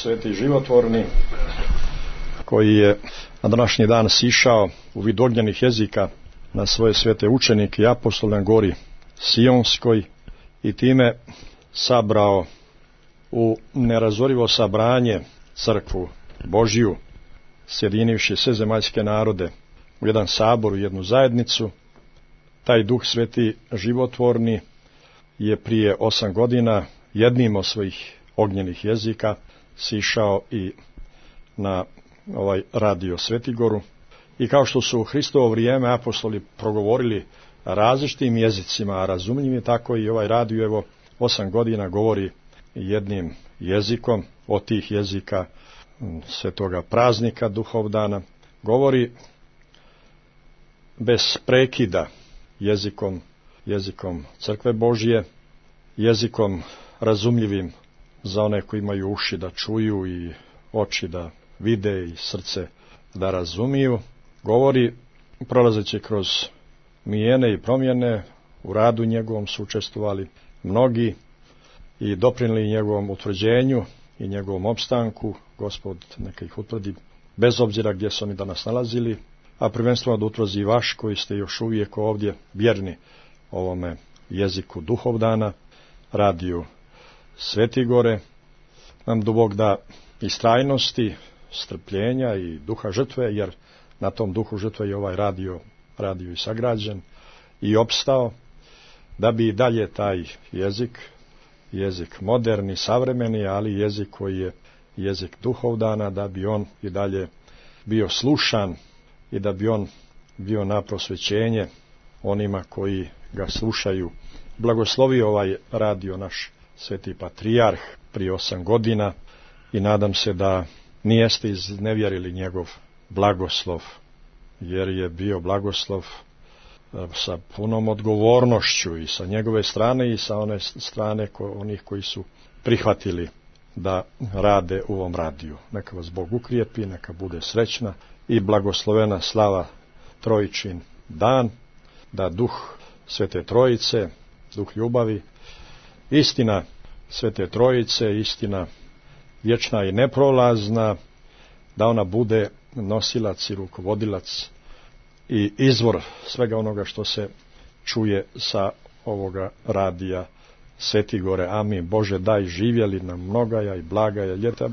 Sveti životvorni, koji je na današnji dan sišao u vid ognjenih jezika na svoje svete učenike i apostole na gori Sionskoj i time sabrao u nerazorivo sabranje crkvu Božiju, sjedinivši sve zemaljske narode u jedan sabor, u jednu zajednicu. Taj Duh Sveti životvorni je prije 8 godina jednim od svojih ognjenih jezika sišao i na ovaj radio Svetigoru. I kao što su u Hristovo vrijeme apostoli progovorili različitim jezicima, a razumljivim, tako i ovaj radio evo 8 godina govori jednim jezikom. Od tih jezika svetoga praznika Duhovdana govori bez prekida jezikom crkve Božje, jezikom razumljivim za one koji imaju uši da čuju i oči da vide i srce da razumiju. Govori prolazeći kroz mijene i promjene. U radu njegovom su učestvovali mnogi i doprinijeli njegovom utvrđenju i njegovom opstanku. Gospod neka ih utvrdi bez obzira gdje su oni danas nalazili, a prvenstveno da utvrdi vaš koji ste još uvijek ovdje vjerni ovome jeziku Duhovdana, radiju Svetigore. Nam do Bog da istrajnosti, strpljenja i duha žrtve, jer na tom duhu žrtve je ovaj radio i sagrađen i opstao, da bi i dalje taj jezik moderni, savremeni, ali jezik koji je jezik Duhovdana, da bi on i dalje bio slušan i da bi on bio na prosvećenje onima koji ga slušaju. Blagoslovio ovaj radio naš sveti patrijarh prije 8 godina i nadam se da nijeste iznevjerili njegov blagoslov, jer je bio blagoslov sa punom odgovornošću i sa njegove strane i sa one strane onih koji su prihvatili da rade u ovom radiju. Neka vas Bog ukrijepi, neka bude srećna i blagoslovena slava Trojičin dan, da duh Svete Trojice, duh ljubavi, istina Svete Trojice, istina vječna i neprolazna, da ona bude nosilac i rukovodilac i izvor svega onoga što se čuje sa ovoga radija Svetigore. Amin. Bože, daj živjeli nam mnogaja i blagaja ljeta.